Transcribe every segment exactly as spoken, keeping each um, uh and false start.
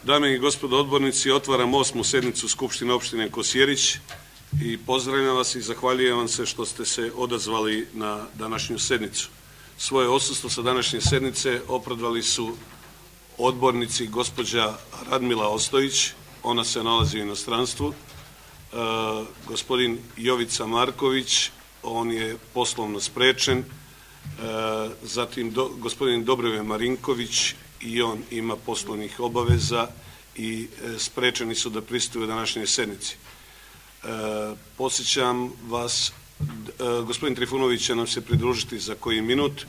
Dame i gospodo odbornici, otvaram osmu sednicu Skupštine opštine Kosjerić i pozdravljam vas i zahvaljujem vam se što ste se odazvali na današnju sednicu. Svoje odsustvo sa današnje sednice opravdali su odbornici gospođa Radmila Ostojić, ona se nalazi u inostranstvu, e, gospodin Jovica Marković, on je poslovno sprečen, e, zatim do, gospodin Dobrivoje Marinković, i on ima poslovnih obaveza i e, sprečeni su da prisustvuju današnjoj sednici. E, Podsjećam vas, e, gospodin Trifunović će nam se pridružiti za koji minut. E,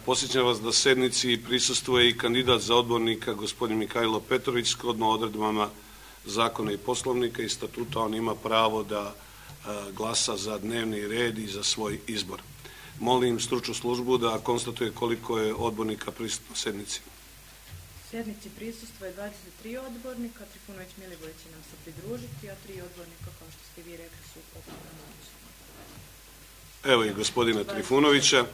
Podsjećam vas da sednici prisustvuje i kandidat za odbornika, gospodin Mihajlo Petrović, shodno odredbama zakona i poslovnika i statuta. On ima pravo da e, glasa za dnevni red i za svoj izbor. Molim stručnu službu da konstatuje koliko je odbornika prisutno sednici. Sednici prisustvuje dvadeset tri odbornika, Trifunović Milivoj će nam se pridružiti, a tri odbornika, kao što ste vi rekli, su opravdano odsustva. Evo i gospodina Trifunovića.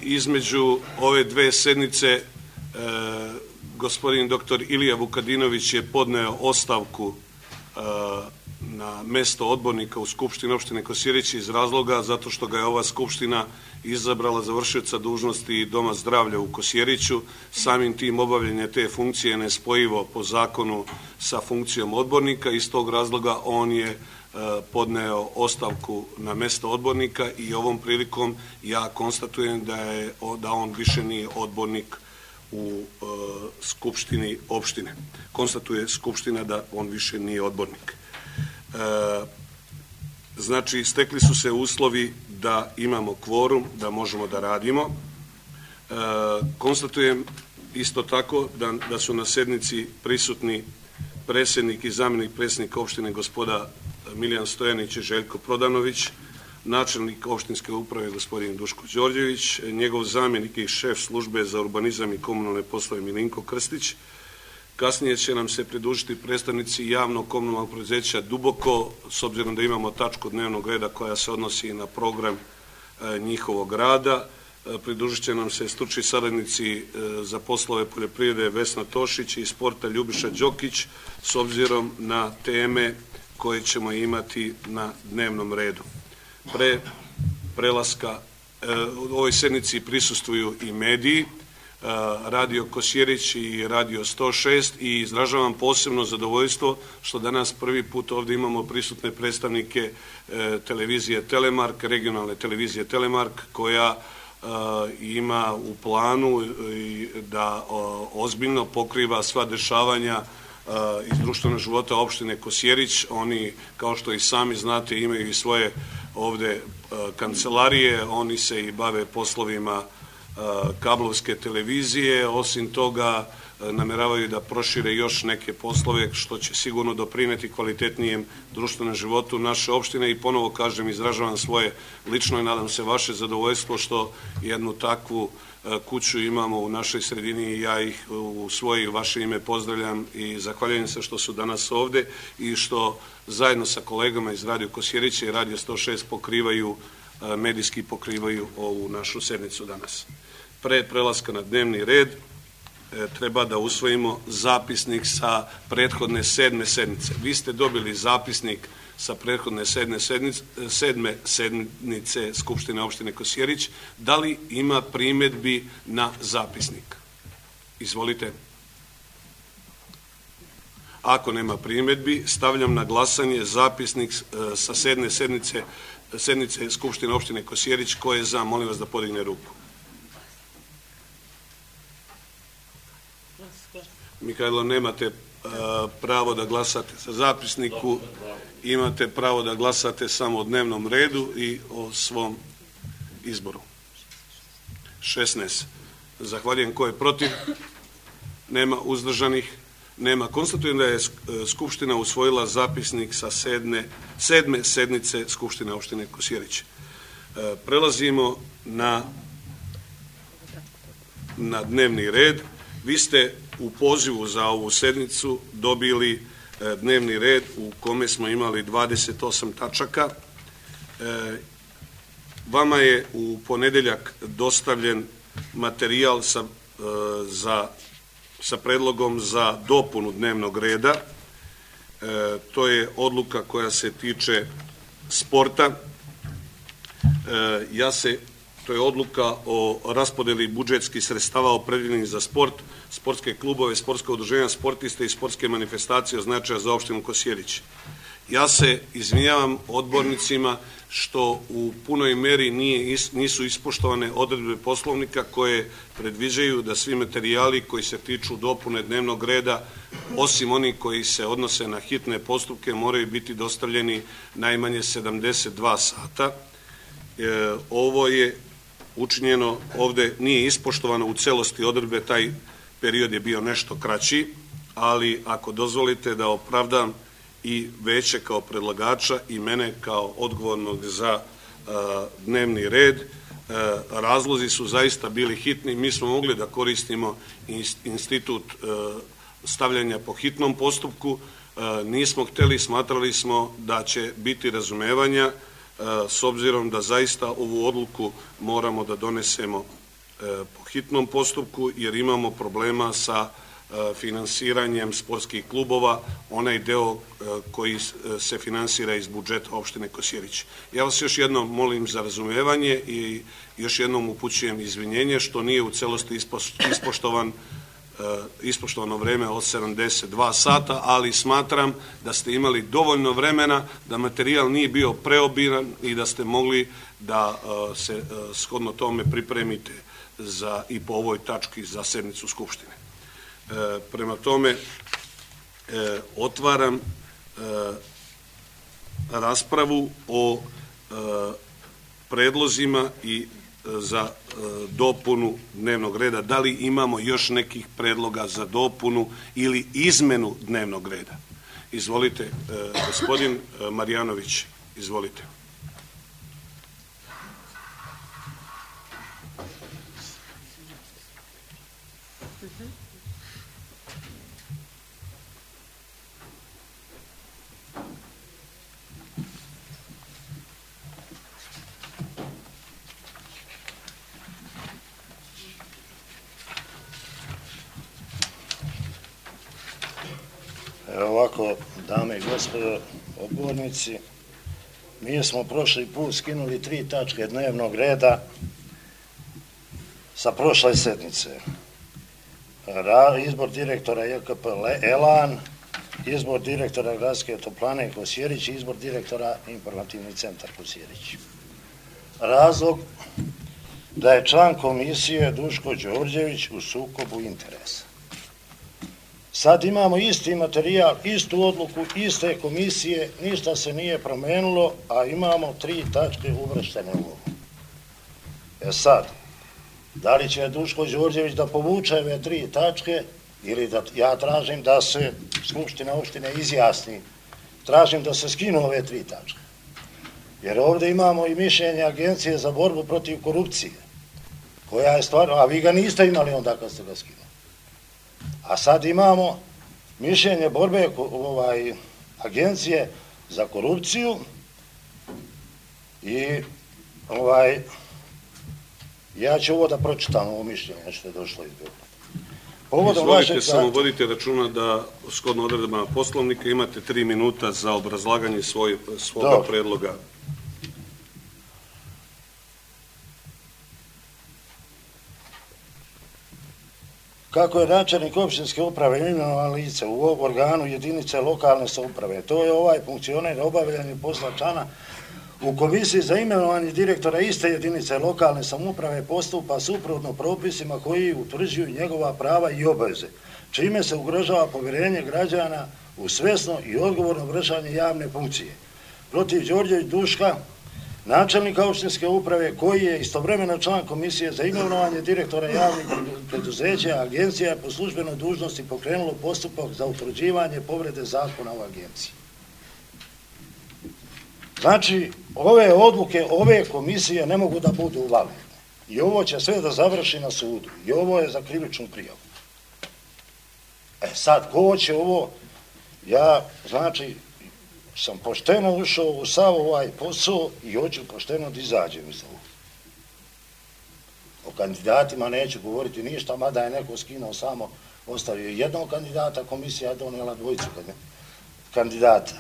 Između ove dve sednice gospodin doktor Ilija Vukadinović je podneo ostavku na mesto odbornika u Skupštini opštine Kosjerić iz razloga zato što ga je ova Skupština izabrala za vršioca dužnosti Doma zdravlja u Kosjeriću. Samim tim obavljanje te funkcije je nespojivo po zakonu sa funkcijom odbornika. Iz tog razloga on je podneo ostavku na mesto odbornika i ovom prilikom ja konstatujem da, je, da on više nije odbornik u Skupštini opštine. Konstatuje Skupština da on više nije odbornik. Znači, stekli su se uslovi da imamo kvorum, da možemo da radimo. Konstatujem isto tako da, da su na sednici prisutni predsjednik i zamjenik predsjednika opštine gospoda Miljan Stojanić i Željko Prodanović, načelnik opštinske uprave gospodin Duško Đorđević, njegov zamjenik i šef službe za urbanizam i komunalne poslove Milinko Krstić. Kasnije će nam se pridružiti predstavnici javnog komunalnog preduzeća Duboko, s obzirom da imamo tačku dnevnog reda koja se odnosi na program njihovog rada. Pridružit će nam se stručni saradnici za poslove poljoprivrede Vesna Tošić i sporta Ljubiša Đokić, s obzirom na teme koje ćemo imati na dnevnom redu. Pre prelaska u ovoj sednici prisustvuju i mediji, Radio Kosjerić i Radio sto šest, i izražavam posebno zadovoljstvo što danas prvi put ovdje imamo prisutne predstavnike televizije Telemark, regionalne televizije Telemark, koja ima u planu da ozbiljno pokriva sva dešavanja iz društvenog života opštine Kosjerić. Oni, kao što i sami znate, imaju i svoje ovde kancelarije, oni se i bave poslovima kablovske televizije. Osim toga, nameravaju da prošire još neke poslove, što će sigurno doprineti kvalitetnijem društvenom životu naše opštine. I ponovo kažem, izražavam svoje lično i nadam se vaše zadovoljstvo što jednu takvu kuću imamo u našoj sredini i ja ih u svoje i vaše ime pozdravljam i zahvaljujem se što su danas ovde i što zajedno sa kolegama iz Radio Kosjerića i Radio sto šest pokrivaju, medijski pokrivaju ovu našu sednicu danas. Pre prelaska na dnevni red treba da usvojimo zapisnik sa prethodne sedme sednice. Vi ste dobili zapisnik sa prethodne sedme sednice, sedme sednice Skupštine opštine Kosjerić. Da li ima primedbi na zapisnik? Izvolite. Ako nema primedbi, stavljam na glasanje zapisnik sa sedme sednice, sednice Skupštine opštine Kosjerić. Ko je za? Molim vas da podigne ruku. Mihajlo, nemate pravo da glasate za zapisniku, imate pravo da glasate samo o dnevnom redu i o svom izboru. šesnaest. Zahvaljujem. Ko je protiv? Nema. Uzdržanih? Nema. Konstatujem da je Skupština usvojila zapisnik sa sedme, sedme sednice Skupštine opštine Kosjerić. Prelazimo na, na dnevni red. Vi ste u pozivu za ovu sednicu dobili dnevni red u kome smo imali dvadeset osam tačaka. Vama je u ponedeljak dostavljen materijal sa za, sa predlogom za dopunu dnevnog reda. To je odluka koja se tiče sporta. Ja se, to je odluka o raspodeli budžetskih sredstava opredjeljenih za sport, sportske klubove, sportske udruženja, sportiste i sportske manifestacije od značaja za opštinu Kosjerić. Ja se izvinjavam odbornicima što u punoj meri nije, nisu ispoštovane odredbe Poslovnika koje predviđaju da svi materijali koji se tiču dopune dnevnog reda, osim onih koji se odnose na hitne postupke, moraju biti dostavljeni najmanje sedamdeset dva sata. E, ovo je učinjeno, ovde nije ispoštovano u celosti odredbe, taj period je bio nešto kraći, ali ako dozvolite da opravdam i veće kao predlagača i mene kao odgovornog za dnevni red, razlozi su zaista bili hitni. Mi smo mogli da koristimo institut stavljanja po hitnom postupku, nismo hteli, smatrali smo da će biti razumevanja s obzirom da zaista ovu odluku moramo da donesemo po hitnom postupku jer imamo problema sa finansiranjem sportskih klubova, onaj deo koji se finansira iz budžeta opštine Kosjerić. Ja vas još jednom molim za razumevanje i još jednom upućujem izvinjenje što nije u celosti ispoštovan ispoštovano vreme od sedamdeset dva sata, ali smatram da ste imali dovoljno vremena, da materijal nije bio preobiran i da ste mogli da se shodno tome pripremite za, i po ovoj tački za sednicu Skupštine. E, prema tome, e, otvaram e, raspravu o e, predlozima i za dopunu dnevnog reda. Da li imamo još nekih predloga za dopunu ili izmenu dnevnog reda? Izvolite, gospodin Marjanović, izvolite. Ovako, dame i gospodo odbornici, mi smo prošli put skinuli tri tačke dnevnog reda sa prošle sednice. Izbor direktora J K P Elan, izbor direktora Gradske toplane Kosjerić i izbor direktora Informativni centar Kosjerić. Razlog da je član komisije Duško Đorđević u sukobu interesa. Sad imamo isti materijal, istu odluku, iste komisije, ništa se nije promenilo, a imamo tri tačke uvrštene u ovo. E sad, da li će Duško Đorđević da povuče ove tri tačke ili da ja tražim da se Skupština opštine izjasni, tražim da se skinu ove tri tačke. Jer ovde imamo i mišljenje Agencije za borbu protiv korupcije, koja je stvarno, a vi ga niste imali onda kad ste ga skinuli. A sad imamo mišljenje borbe ovaj, Agencije za korupciju i ovaj, ja ću ovo da pročitam ovo mišljenje što je došlo iz Beograda. Izvolite, samo vodite računa da shodno odredbama Poslovnika imate tri minuta za obrazlaganje svoj, svoga predloga. Kako je načelnik opštinske uprave imenovan lice u organu jedinice lokalne samouprave, to je ovaj funkcioner obavljanje posla člana u komisiji za imenovanje direktora iste jedinice lokalne samouprave postupa suprotno propisima koji utvrđuju njegova prava i obaveze, čime se ugrožava povjerenje građana u svesno i odgovorno vršenje javne funkcije. Protiv Đorđević Duška, načelnika opštinske uprave, koji je istovremeno član komisije za imenovanje direktora javnih preduzeća, agencija je po službenoj dužnosti pokrenulo postupak za utvrđivanje povrede zakona o agenciji. Znači, ove odluke, ove komisije ne mogu da budu validne. I ovo će sve da završi na sudu. I ovo je za krivičnu prijavu. E sad, ko će ovo? Ja, znači, sam pošteno ušao u sav ovaj posao i hoću pošteno da izađem iz ovog. kandidatima neću govoriti ništa, mada je neko skinuo samo, ostavio jednog kandidata, komisija je donijela dvojicu kandidata.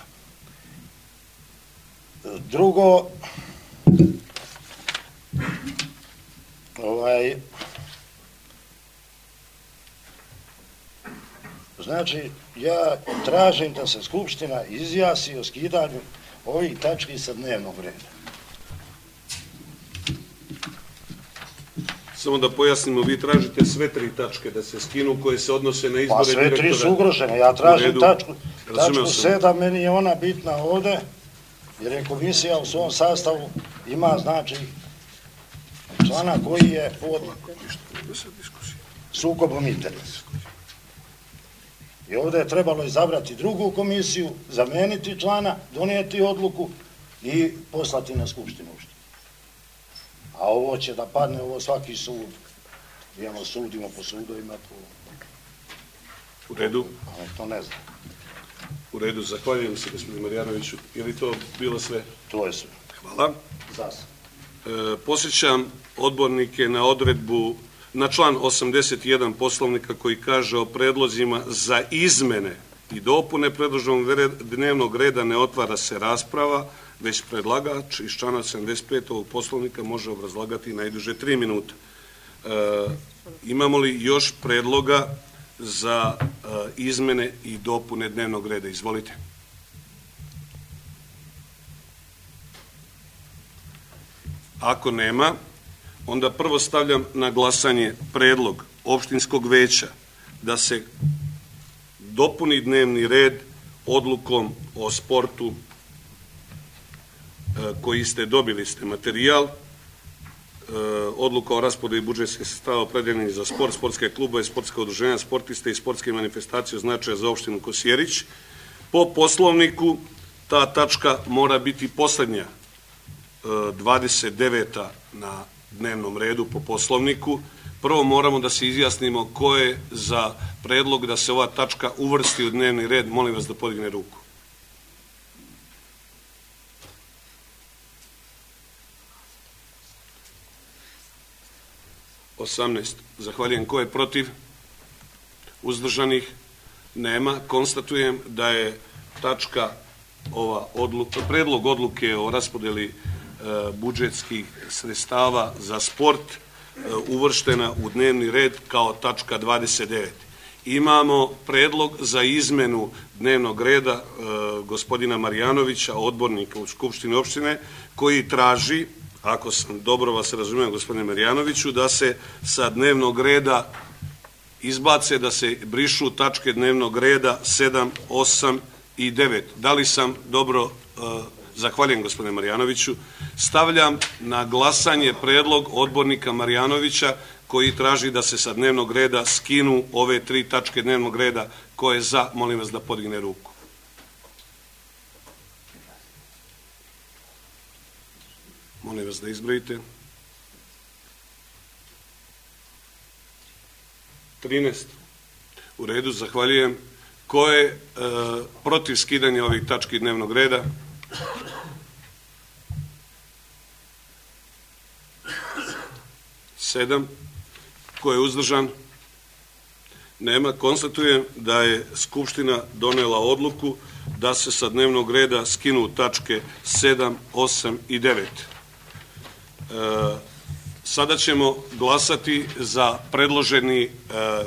Drugo, ovaj, znači, ja tražim da se Skupština izjasni o skidanju ovih tački sa dnevnog reda. Samo da pojasnimo, vi tražite sve tri tačke da se skinu koje se odnose na izbore direktora. Pa sve tri su ugrožene, ja tražim tačku, tačku sedam, meni je ona bitna ovde, jer je komisija u svom sastavu ima, znači, člana koji je pod sukobom interesa. I ovdje je trebalo izabrati drugu komisiju, zameniti člana, donijeti odluku i poslati na Skupštinu. A ovo će da padne, ovo svaki sud. Imamo sudimo po sudovima. U redu. Ali to ne znam. U redu, zahvaljujem se gospodinu Marjanoviću. Je li to bilo sve? To je sve. Hvala. Zasad. Posjećam odbornike na odredbu, na član osamdeset jedan Poslovnika koji kaže o predlozima za izmene i dopune predloženog dnevnog reda ne otvara se rasprava, već predlagač iz člana sedamdeset pet ovog Poslovnika može obrazlagati najduže tri minuta. Imamo li još predloga za izmene i dopune dnevnog reda? Izvolite. Ako nema, onda prvo stavljam na glasanje predlog opštinskog veća da se dopuni dnevni red odlukom o sportu koji ste dobili, ste materijal, odluka o raspodeli budžetskih sredstava opredeljenih za sport, sportske klubove, sportska udruženja, sportiste i sportske manifestacije od značaja za opštinu Kosjerić. Po Poslovniku ta tačka mora biti poslednja, dvadeset deveta na dnevnom redu po Poslovniku. Prvo moramo da se izjasnimo ko je za predlog da se ova tačka uvrsti u dnevni red. Molim vas da podigne ruku. osamnaest. Zahvaljujem. Ko je protiv? Uzdržanih? Nema. Konstatujem da je tačka ova odluka, predlog odluke o raspodeli budžetskih sredstava za sport uvrštena u dnevni red kao tačka dvadeset devet. Imamo predlog za izmenu dnevnog reda gospodina Marjanovića, odbornika u Skupštini opštine, koji traži, ako sam dobro vas razumijem gospodine Marjanoviću, da se sa dnevnog reda izbace, da se brišu tačke dnevnog reda sedam, osam i devet. Da li sam dobro... Zahvaljujem gospodine Marjanoviću. Stavljam na glasanje predlog odbornika Marjanovića koji traži da se sa dnevnog reda skinu ove tri tačke dnevnog reda. Ko je za, molim vas da podigne ruku. Molim vas da izbrojite. trinaest. U redu, zahvaljujem. Ko je protiv skidanja ovih tački dnevnog reda? Sedam. Ko je uzdržan? Nema. Konstatujem da je Skupština donela odluku da se sa dnevnog reda skinu tačke sedam, osam i devet. Sada ćemo glasati za predloženi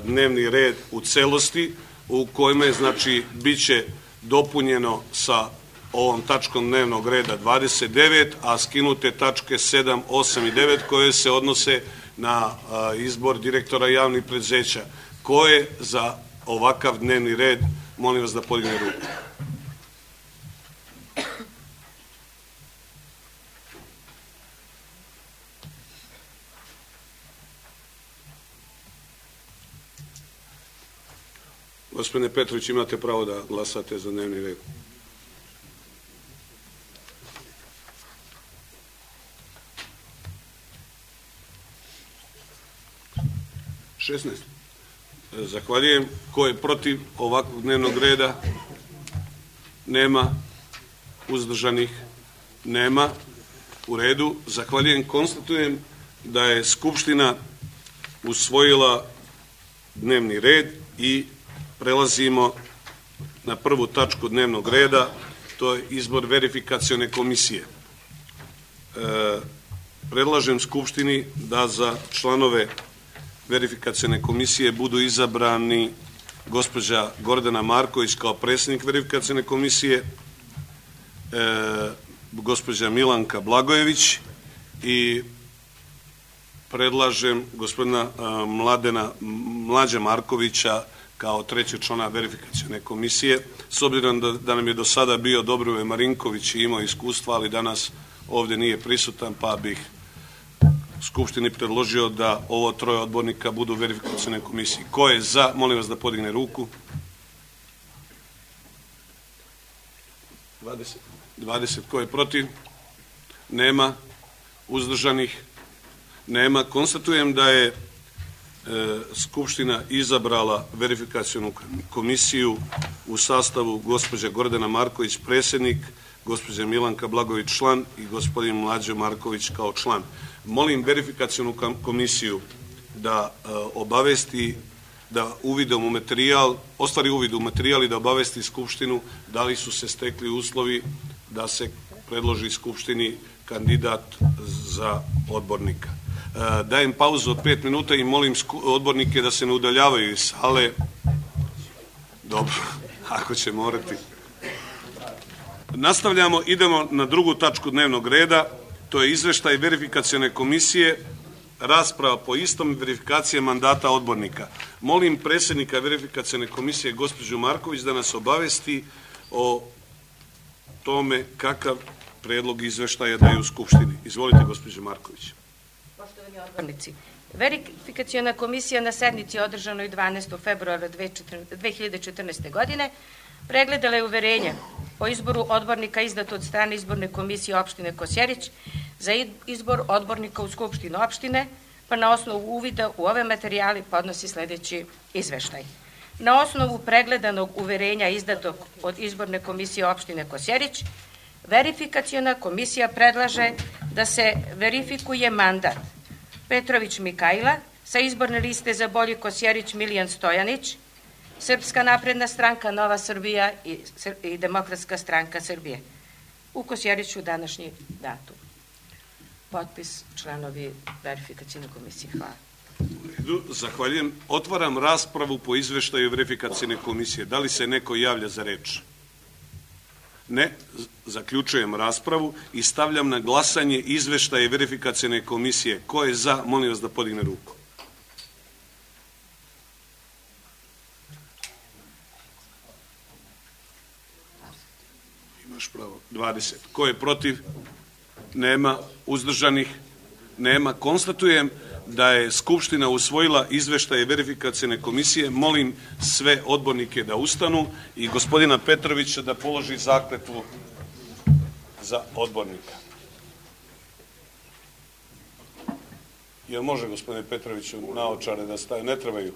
dnevni red u celosti, u kojima, znači, bit će dopunjeno sa ovom tačkom dnevnog reda dvadeset devet, a skinute tačke sedam, osam i devet koje se odnose na izbor direktora javnih preduzeća. Ko je za ovakav dnevni red? Molim vas da podigne ruku. Gospodine Petrović, imate pravo da glasate za dnevni red. šesnaest. Zahvaljujem. Ko je protiv ovakvog dnevnog reda? Nema. Uzdržanih? Nema. U redu. Zahvaljujem. Konstatujem da je Skupština usvojila dnevni red i prelazimo na prvu tačku dnevnog reda, to je izbor verifikacione komisije. E, predlažem Skupštini da za članove verifikacione komisije budu izabrani gospođa Gordana Marković kao predsjednik verifikacione komisije, e, gospođa Milanka Blagojević i predlažem gospodina Mladena Mlađa Markovića kao trećeg člana verifikacione komisije. S obzirom da, da nam je do sada bio Dobrovoje Marinković i imao iskustva, ali danas ovdje nije prisutan, pa bih Skupštini predložio da ovo troje odbornika budu u verifikacione komisiji. Ko je za? Molim vas da podigne ruku. dvadeset. dvadeset. Ko je protiv? Nema. Uzdržanih? Nema. Konstatujem da je e, Skupština izabrala verifikacionu komisiju u sastavu gospođa Gordana Marković, predsjednik, gospođa Milanka Blagojević, član i gospodin Mlađo Marković kao član. Molim verifikacionu komisiju da e, obavesti, da uvidom u materijal, ostvari uvid u materijal i da obavesti Skupštinu da li su se stekli uslovi da se predloži Skupštini kandidat za odbornika. E, dajem pauzu od pet minuta i molim odbornike da se ne udaljavaju iz sale. Dobro, ako će morati. Nastavljamo, idemo na drugu tačku dnevnog reda, to je izveštaj verifikacione komisije, rasprava po istom, verifikacije mandata odbornika. Molim predsjednika verifikacione komisije, gospođu Marković, da nas obavesti o tome kakav predlog izveštaja daje u Skupštini. Izvolite, gospođo Marković. Poštovani odbornici, verifikaciona komisija na sednici održanoj dvanaestog februara dve hiljade četrnaeste. godine pregledala je uverenje o izboru odbornika izdato od strane izborne komisije opštine Kosjerić za izbor odbornika u Skupštinu opštine, pa na osnovu uvida u ove materijale podnosi sljedeći izveštaj. Na osnovu pregledanog uverenja izdatog od izborne komisije opštine Kosjerić, verifikaciona komisija predlaže da se verifikuje mandat Petrović Mikajla sa izborne liste za Bolji Kosjerić Milijan Stojanić, Srpska napredna stranka Nova Srbija i, i Demokratska stranka Srbije. U Kosjeriću današnji datum. Potpis članovi verifikacione komisije. Hvala. Zahvaljujem. Otvaram raspravu po izveštaju verifikacione komisije. Da li se neko javlja za reč? Ne. Zaključujem raspravu i stavljam na glasanje izveštaje verifikacione komisije. Ko je za? Molim vas da podigne ruku. Imaš pravo. dvadeset. Ko je protiv? Nema. Uzdržanih? Nema. Konstatujem da je Skupština usvojila izveštaje verifikacione komisije. Molim sve odbornike da ustanu i gospodina Petrovića da položi zakletvu za odbornika. Jel može, gospodine Petroviću, naočare da staje? Ne trebaju.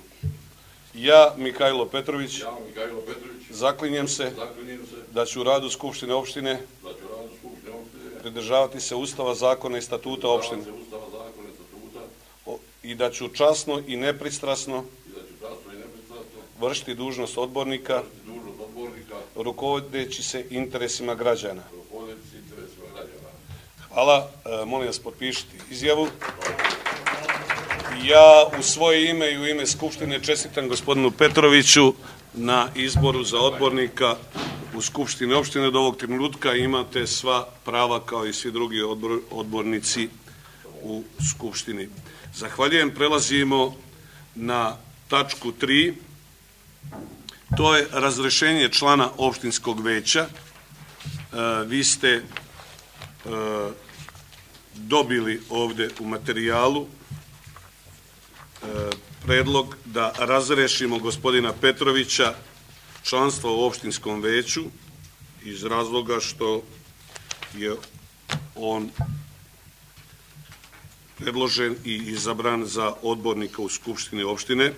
Ja, Mikajlo Petrović, Ja, Mikajlo Petrović, zaklinjem se zaklinjem se da ću u radu Skupštine opštine da ću radu Skupštine opštine pridržavati se Ustava, zakona i statuta opštine se Ustava, zakona i statuta o- i da ću časno i nepristrasno i da ću časno i nepristrasno vršiti dužnost odbornika, vršiti dužnost odbornika rukovodeći se interesima građana. rukovodeći se interesima građana. Hvala. E, molim vas potpišite izjavu. Ja u svoje ime i u ime Skupštine čestitam gospodinu Petroviću na izboru za odbornika u Skupštini opštine. Od ovog trenutka imate sva prava kao i svi drugi odbor, odbornici u Skupštini. Zahvaljujem. Prelazimo na tačku tri. To je razrešenje člana opštinskog veća. E, vi ste e, dobili ovde u materijalu predlog da razrešimo gospodina Petrovića članstva u opštinskom veću iz razloga što je on predložen i izabran za odbornika u Skupštini opštine.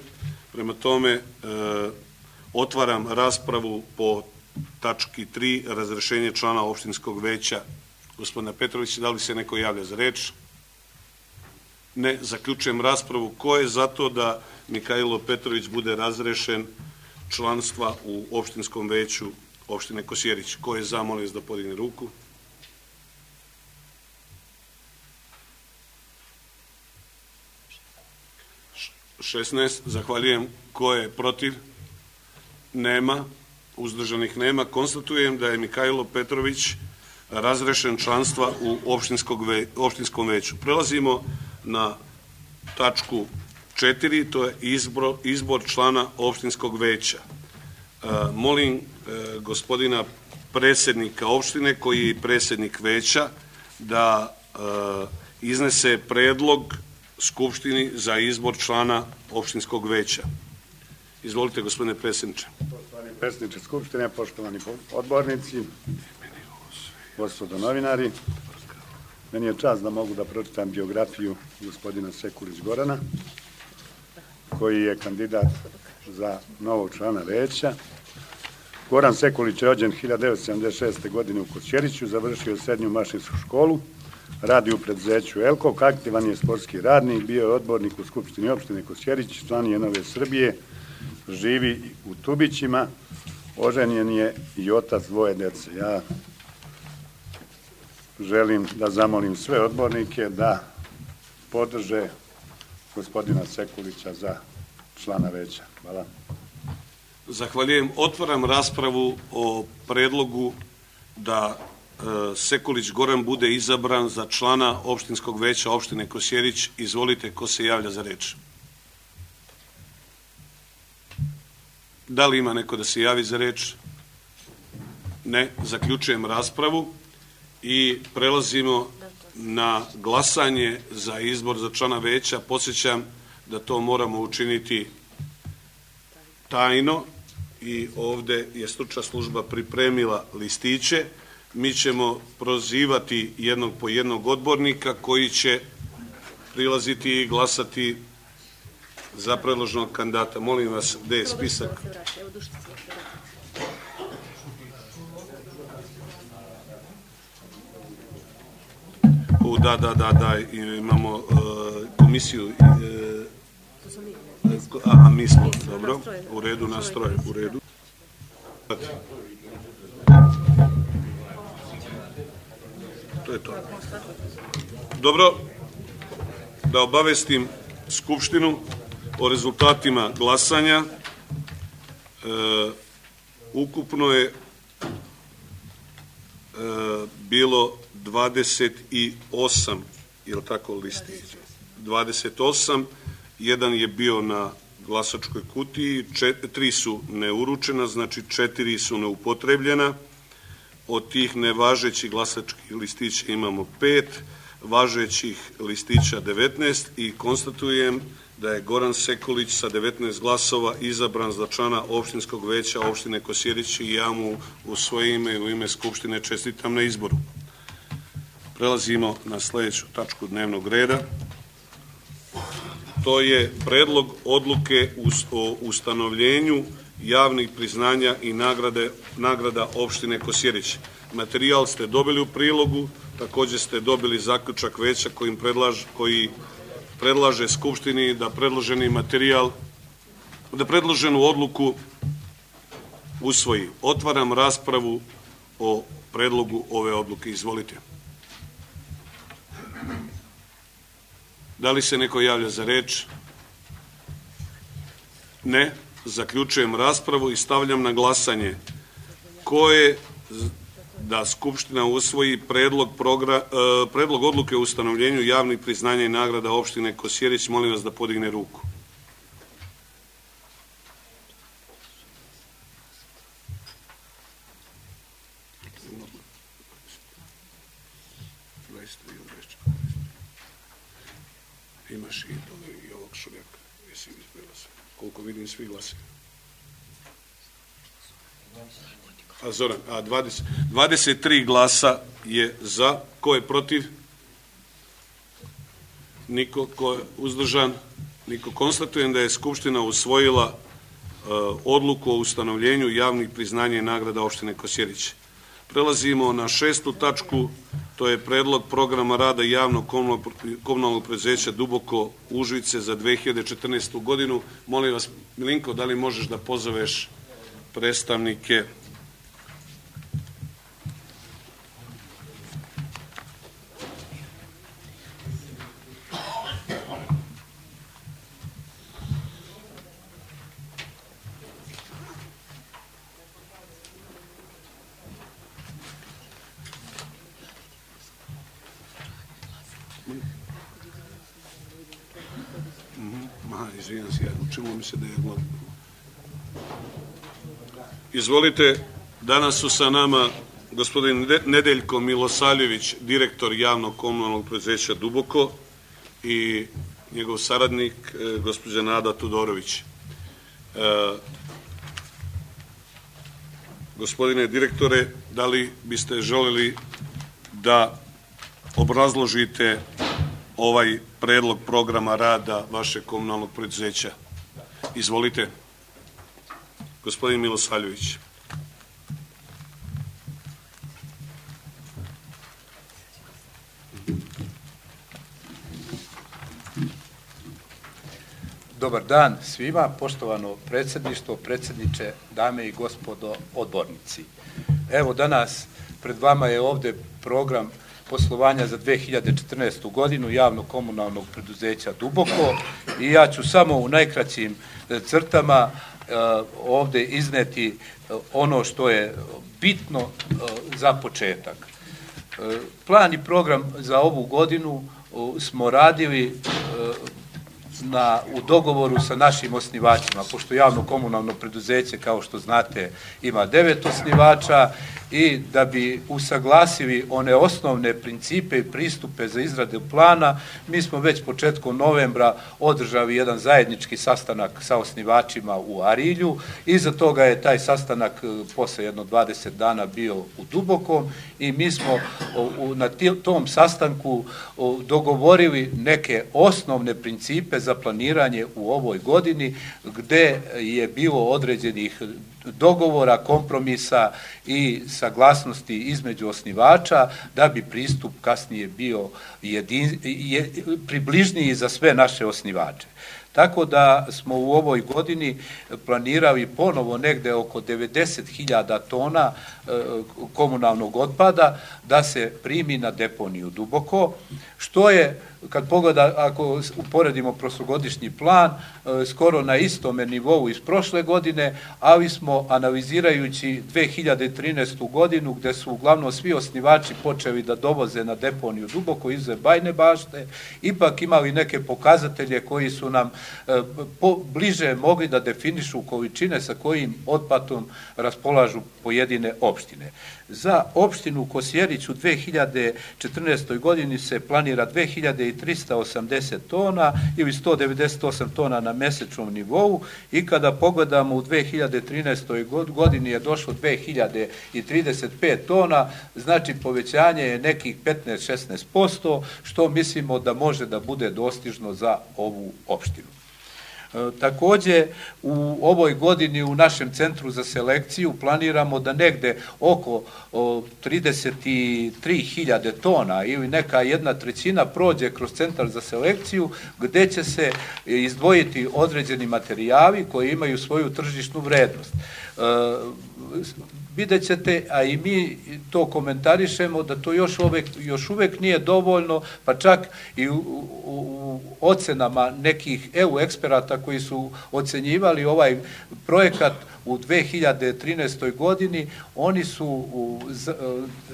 Prema tome, e, otvaram raspravu po tački tri, razrešenje člana opštinskog veća gospodina Petrovića. Da li se neko javlja za reč? Ne. Zaključujem raspravu. Ko je za to da Mihajlo Petrović bude razrešen članstva u opštinskom veću opštine Kosjerić? Ko je za, molim vas da podigne ruku. šesnaest. Zahvaljujem. Ko je protiv? Nema. Uzdržanih nema. Konstatujem da je Mihajlo Petrović razrešen članstva u opštinskom veću. Prelazimo na tačku četiri, to je izbor, izbor člana opštinskog veća. E, molim e, gospodina predsjednika opštine, koji je predsjednik veća, da e, iznese predlog Skupštini za izbor člana opštinskog veća. Izvolite, gospodine predsjedniče. Poštovani predsjedniče Skupštine, poštovani odbornici, gospodo novinari, meni je čast da mogu da pročitam biografiju gospodina Sekulić Gorana, koji je kandidat za novog člana veća. Goran Sekulić je rođen hiljadu devetsto sedamdeset šeste. godine u Kosjeriću, završio srednju mašinsku školu, radi u preduzeću Elkok, aktivan je sportski radnik, bio je odbornik u Skupštini opštine Kosjerić, član je Nove Srbije, živi u Tubićima, oženjen je i otac dvoje dece. Ja želim da zamolim sve odbornike da podrže gospodina Sekulića za člana veća. Hvala. Zahvaljujem. Otvaram raspravu o predlogu da Sekulić Goran bude izabran za člana opštinskog veća opštine Kosjerić. Izvolite, ko se javlja za reč? Da li ima neko da se javi za reč? Ne. Zaključujem raspravu i prelazimo na glasanje za izbor za člana veća. Podsjećam da to moramo učiniti tajno i ovde je stručna služba pripremila listiće. Mi ćemo prozivati jednog po jednog odbornika koji će prilaziti i glasati za predloženog kandidata. Molim vas, gde je spisak? U, da, da, da, da, imamo komisiju. Aha, mi smo, dobro, u redu, nastroj, u redu. To je to. Dobro, da obavestim Skupštinu o rezultatima glasanja. E, ukupno je e, bilo dvadeset osam, je li tako listića? dvadeset osam, jedan je bio na glasačkoj kutiji, čet, tri su neuručena, znači četiri su neupotrebljena. Od tih nevažećih glasačkih listića imamo pet, važećih listića devetnaest i konstatujem da je Goran Sekulić sa devetnaest glasova izabran za člana opštinskog veća opštine Kosjerić i ja mu u svoje ime i u ime Skupštine čestitam na izboru. Prelazimo na sljedeću tačku dnevnog reda. To je predlog odluke o ustanovljenju javnih priznanja i nagrade, nagrada opštine Kosjerić. Materijal ste dobili u prilogu, također ste dobili zaključak veća kojim predlaž, koji predlaže Skupštini da predloženi materijal, da predloženu odluku usvoji. Otvaram raspravu o predlogu ove odluke. Izvolite. Da li se neko javlja za reč? Ne. Zaključujem raspravu i stavljam na glasanje ko je da Skupština usvoji predlog, progra, eh, predlog odluke o ustanovljenju javnih priznanja i nagrada opštine Kosjerić. Molim vas da podigne ruku. Imaš i, i ovog Šurjaka. Jesi izbjela se. Koliko vidim, svi glasi. A Zoran, a dvadeset, dvadeset tri glasa je za. Ko je protiv? Niko. Ko je uzdržan? Niko. Konstatujem da je Skupština usvojila uh, odluku o ustanovljenju javnih priznanja i nagrada opštine Kosjerić. Prelazimo na šestu tačku To je predlog programa rada javnog komunalnog preduzeća Duboko Užice za dve hiljade četrnaestu godinu. Molim vas, Milinko, da li možeš da pozoveš predstavnike? Izvijem se, učinilo mi se da je glavno. Izvolite, danas su sa nama gospodin Nedeljko Milosavljević, direktor javnog komunalnog preduzeća Duboko, i njegov saradnik, gospođa Nada Tudorović. Gospodine direktore, da li biste želeli da obrazložite ovaj predlog programa rada vašeg komunalnog preduzeća? Izvolite, gospodin Milosavljević. Dobar dan svima, poštovano predsjedništvo, predsjedniče, dame i gospodo odbornici. Evo, danas pred vama je ovde program poslovanja za dve hiljade četrnaestu godinu javnog komunalnog preduzeća Duboko i ja ću samo u najkraćim crtama ovde izneti ono što je bitno za početak. Plan i program za ovu godinu smo radili na, u dogovoru sa našim osnivačima, pošto javno komunalno preduzeće, kao što znate, ima devet osnivača, i da bi usaglasili one osnovne principe i pristupe za izradu plana, mi smo već početkom novembra održali jedan zajednički sastanak sa osnivačima u Arilju. Iza toga je taj sastanak posle jedno dvadeset dana bio u Dubokom i mi smo na tom sastanku dogovorili neke osnovne principe za planiranje u ovoj godini, gde je bilo određenih dogovora, kompromisa i saglasnosti između osnivača da bi pristup kasnije bio jedin, je, približniji za sve naše osnivače. Tako da smo u ovoj godini planirali ponovo negde oko devedeset hiljada tona komunalnog otpada da se primi na deponiju Duboko, što je, kad pogleda, ako uporedimo prošlogodišnji plan, skoro na istome nivou iz prošle godine, ali smo analizirajući dve hiljade trinaestu godinu, gde su uglavnom svi osnivači počeli da dovoze na deponiju Duboko izuzev Bajne Bašte, ipak imali neke pokazatelje koji su nam po, bliže mogli da definišu količine sa kojim otpadom raspolažu pojedine opštine. Za opštinu Kosjerić u dve hiljade četrnaestoj godini se planira dve hiljade trista osamdeset tona ili sto devedeset osam tona na mesečnom nivou, i kada pogledamo u dve hiljade trinaestoj godini je došlo dve hiljade trideset pet tona, znači povećanje je nekih petnaest do šesnaest posto, što mislimo da može da bude dostižno za ovu opštinu. Takođe, u ovoj godini u našem centru za selekciju planiramo da negde oko trideset tri hiljade tona ili neka jedna trećina prođe kroz centar za selekciju, gde će se izdvojiti određeni materijali koji imaju svoju tržišnu vrednost. Vidjet ćete, a i mi to komentarišemo, da to još uvek, još uvek nije dovoljno, pa čak i u, u, u ocenama nekih E U eksperata koji su ocenjivali ovaj projekat u dve hiljade trinaestoj godini, oni su u, z,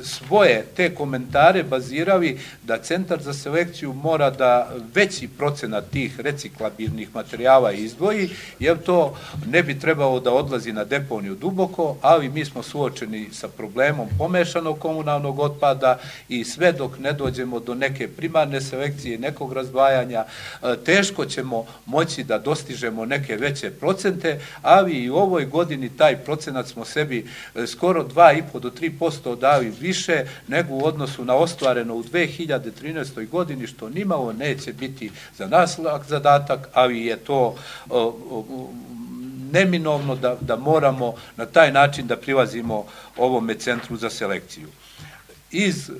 svoje te komentare bazirali da centar za selekciju mora da veći procenat tih reciklabilnih materijala izdvoji, jer to ne bi trebalo da odlazi na deponiju Duboko, ali mi smo suočeni sa problemom pomešanog komunalnog otpada i sve dok ne dođemo do neke primarne selekcije, nekog razdvajanja, teško ćemo moći da dostižemo neke veće procente, ali i u ovoj godini taj procenat smo sebi skoro dva i po do tri posto dali više nego u odnosu na ostvareno u dve hiljade trinaestoj godini, što nimalo neće biti za nas lak zadatak, ali je to o, o, neminovno da, da moramo na taj način da prilazimo ovome centru za selekciju. iz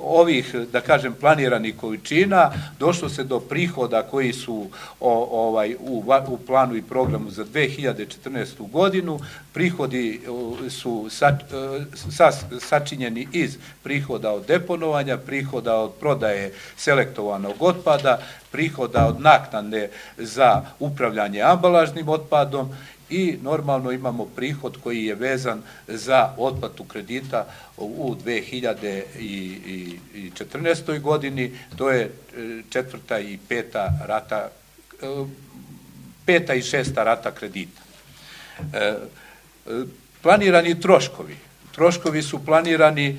ovih, da kažem, planiranih količina došlo se do prihoda koji su ovaj, u, u planu i programu za dve hiljade četrnaestu godinu. Prihodi su sa, sa, sačinjeni iz prihoda od deponovanja, prihoda od prodaje selektovanog otpada, prihoda od naknade za upravljanje ambalažnim otpadom i normalno imamo prihod koji je vezan za otplatu kredita u dve hiljade četrnaestoj godini, to je četvrta i peta rata, peta i šesta rata kredita. Planirani troškovi. Troškovi su planirani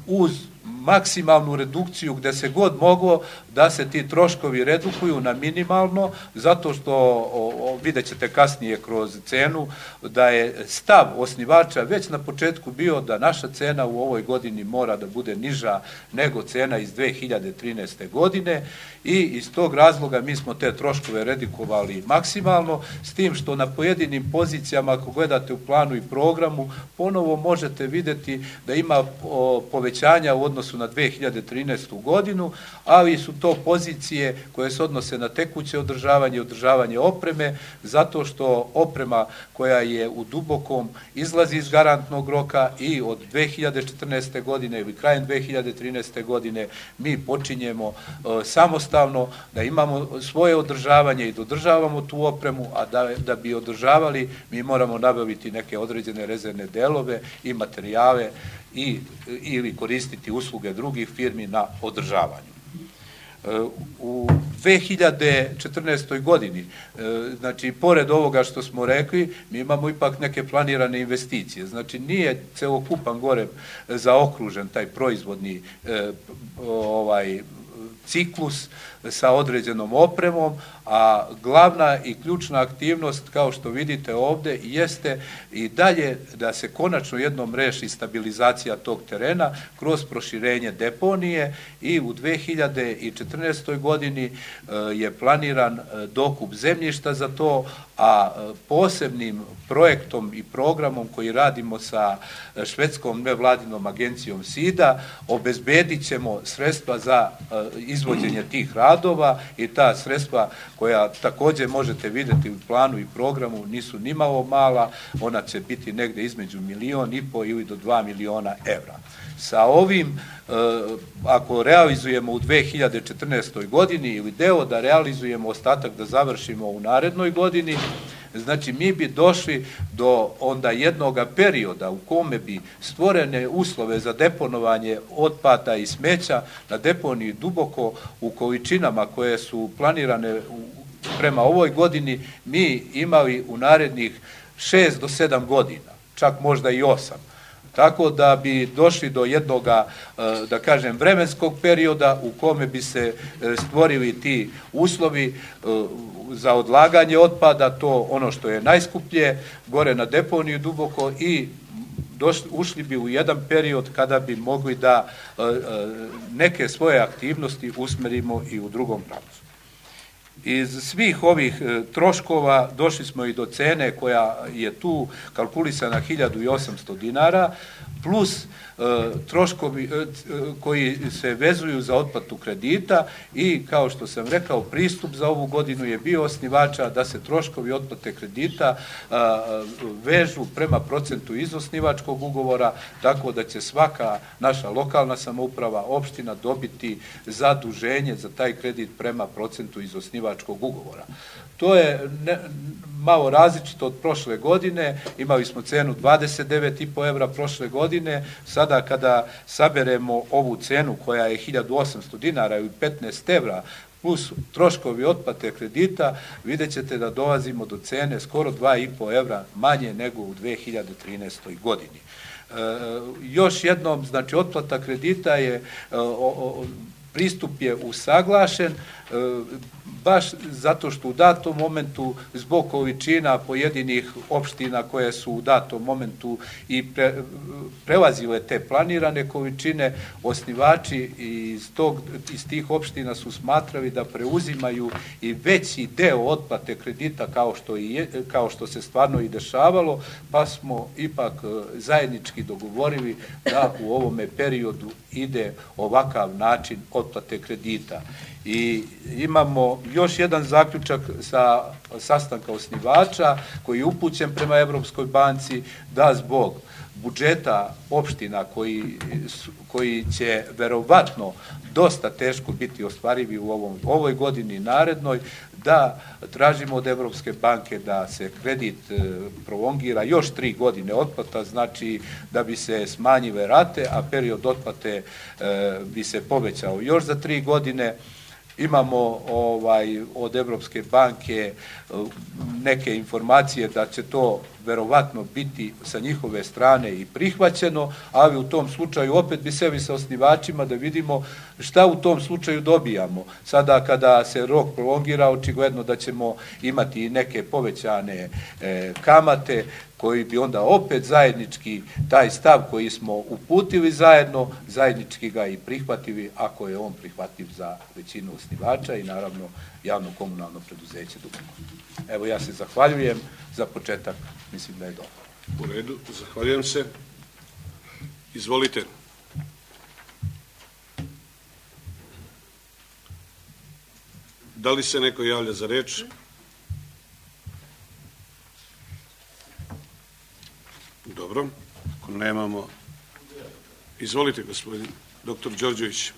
uz maksimalnu redukciju gde se god moglo da se ti troškovi redukuju na minimalno, zato što o, o, vidjet ćete kasnije kroz cenu da je stav osnivača već na početku bio da naša cena u ovoj godini mora da bude niža nego cena iz dve hiljade trinaeste. godine i iz tog razloga mi smo te troškove redukovali maksimalno, s tim što na pojedinim pozicijama, ako gledate u planu i programu, ponovo možete vidjeti da ima o, povećanja u odnosu na dve hiljade trinaestu. godinu, ali su to pozicije koje se odnose na tekuće održavanje i održavanje opreme, zato što oprema koja je u dubokom izlazi iz garantnog roka i od dve hiljade četrnaeste. godine ili krajem dve hiljade trinaeste. godine mi počinjemo e, samostalno da imamo svoje održavanje i da održavamo tu opremu, a da, da bi održavali mi moramo nabaviti neke određene rezervne delove i materijale i, ili koristiti usluge drugih firmi na održavanju. U dve hiljade četrnaestoj. godini, znači, pored ovoga što smo rekli, mi imamo ipak neke planirane investicije. Znači, nije celokupan gore zaokružen taj proizvodni ovaj, ciklus sa određenom opremom, a glavna i ključna aktivnost, kao što vidite ovde, jeste i dalje da se konačno jednom reši stabilizacija tog terena kroz proširenje deponije i u dve hiljade četrnaestoj. godini je planiran dokup zemljišta za to, a posebnim projektom i programom koji radimo sa švedskom nevladinom agencijom SIDA obezbedit ćemo sredstva za izvođenje tih radova i ta sredstva koja takođe možete vidjeti u planu i programu nisu nimalo mala, ona će biti negde između milion i po ili do dva miliona evra. Sa ovim, ako realizujemo u dve hiljade četrnaestoj. godini ili deo da realizujemo, ostatak da završimo u narednoj godini, znači mi bi došli do onda jednoga perioda u kome bi stvorene uslove za deponovanje otpada i smeća na deponiji duboko u količinama koje su planirane prema ovoj godini mi imali u narednih šest do sedam godina, čak možda i osam. Tako da bi došli do jednoga, da kažem, vremenskog perioda u kome bi se stvorili ti uslovi za odlaganje otpada, to ono što je najskuplje, gore na deponiju duboko i došli, ušli bi u jedan period kada bi mogli da neke svoje aktivnosti usmerimo i u drugom pravcu. Iz svih ovih troškova došli smo i do cene koja je tu kalkulisana hiljadu osamsto dinara, plus troškovi koji se vezuju za otplatu kredita i, kao što sam rekao, pristup za ovu godinu je bio osnivača da se troškovi otplate kredita vežu prema procentu iz osnivačkog ugovora, tako da će svaka naša lokalna samouprava, opština dobiti zaduženje za taj kredit prema procentu iz osnivačkog ugovora. To je ne, malo različito od prošle godine, imali smo cenu dvadeset devet i po evra prošle godine, sada kada saberemo ovu cenu koja je hiljadu osamsto dinara ili petnaest evra, plus troškovi otplate kredita, vidjet ćete da dolazimo do cene skoro dva i po evra manje nego u dve hiljade trinaestoj. godini. E, još jednom, znači, otplata kredita je, o, o, pristup je usaglašen, baš zato što u datom momentu zbog količina pojedinih opština koje su u datom momentu i pre, prelazile te planirane količine, osnivači iz, tog, iz tih opština su smatrali da preuzimaju i veći deo otplate kredita kao što, i je, kao što se stvarno i dešavalo, pa smo ipak zajednički dogovorili da u ovome periodu ide ovakav način otplate kredita. I imamo još jedan zaključak sa sastanka osnivača koji je upućen prema Evropskoj banci da zbog budžeta opština koji, koji će verovatno dosta teško biti ostvarivi u ovom, ovoj godini narednoj, da tražimo od Evropske banke da se kredit prolongira još tri godine otplata, znači da bi se smanjile rate, a period otplate bi se povećao još za tri godine. Imamo ovaj, od Evropske banke neke informacije da će to verovatno biti sa njihove strane i prihvaćeno, ali u tom slučaju opet bi sebi sa osnivačima da vidimo šta u tom slučaju dobijamo. Sada kada se rok prolongira, očigledno da ćemo imati neke povećane e, kamate, koji bi onda opet zajednički taj stav koji smo uputili zajedno, zajednički ga i prihvatili, ako je on prihvatljiv za većinu osnivača i naravno javno komunalno preduzeće Duboko. Evo, ja se zahvaljujem za početak, mislim da je dobro. U redu, zahvaljujem se. Izvolite. Da li se neko javlja za reč? Dobro, ako nemamo... Izvolite, gospodin doktor Đorđević.